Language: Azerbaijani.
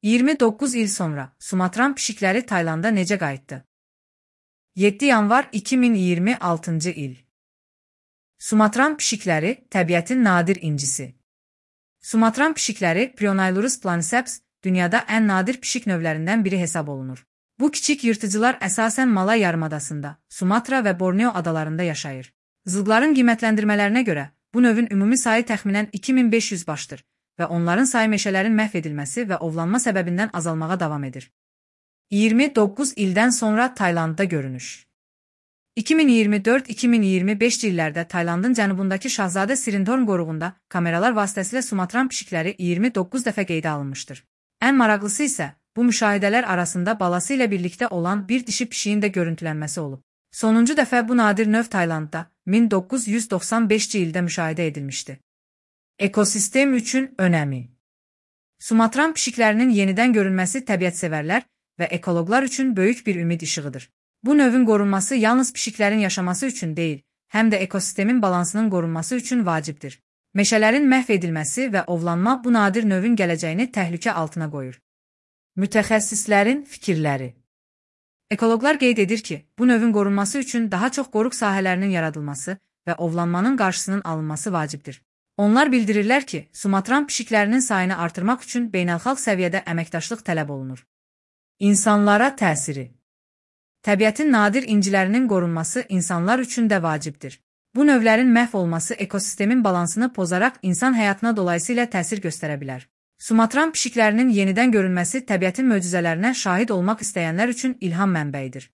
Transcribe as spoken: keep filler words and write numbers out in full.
iyirmi doqquz il sonra Sumatran pişikləri Taylanda necə qayıtdı? yeddi yanvar iki min iyirmi altıncı il. Sumatran pişikləri təbiətin nadir incisi. Sumatran pişikləri Prionailurus planiceps dünyada ən nadir pişik növlərindən biri hesab olunur. Bu kiçik yırtıcılar əsasən Malay yarımadasında, Sumatra və Borneo adalarında yaşayır. Zığların qiymətləndirmələrinə görə bu növün ümumi sayı təxminən iki min beş yüz başdır və onların sayı meşələrin məhv edilməsi və ovlanma səbəbindən azalmağa davam edir. iyirmi doqquz ildən sonra Taylandda görünüş. iki min iyirmi dörd iki min iyirmi beş illərdə Taylandın cənubundakı Şahzadə Sirindhorn qoruğunda kameralar vasitəsilə Sumatran pişikləri iyirmi doqquz dəfə qeydə alınmışdır. Ən maraqlısı isə bu müşahidələr arasında balası ilə birlikdə olan bir dişi pişiyin də görüntülənməsi olub. Sonuncu dəfə bu nadir növ Taylandda min doqquz yüz doxsan beşinci ildə müşahidə edilmişdi. Ekosistem üçün önəmi. Sumatran pişiklərinin yenidən görünməsi təbiətsevərlər və ekoloqlar üçün böyük bir ümid işığıdır. Bu növün qorunması yalnız pişiklərin yaşaması üçün deyil, həm də ekosistemin balansının qorunması üçün vacibdir. Meşələrin məhv edilməsi və ovlanma bu nadir növün gələcəyini təhlükə altına qoyur. Mütəxəssislərin fikirləri. Ekoloqlar qeyd edir ki, bu növün qorunması üçün daha çox qoruq sahələrinin yaradılması və ovlanmanın qarşısının alınması vacibdir. Onlar bildirirlər ki, Sumatran pişiklərinin sayını artırmaq üçün beynəlxalq səviyyədə əməkdaşlıq tələb olunur. İnsanlara təsiri. Təbiətin nadir incilərinin qorunması insanlar üçün də vacibdir. Bu növlərin məhv olması ekosistemin balansını pozaraq insan həyatına dolayısıyla təsir göstərə bilər. Sumatran pişiklərinin yenidən görünməsi təbiətin möcüzələrinə şahid olmaq istəyənlər üçün ilham mənbəyidir.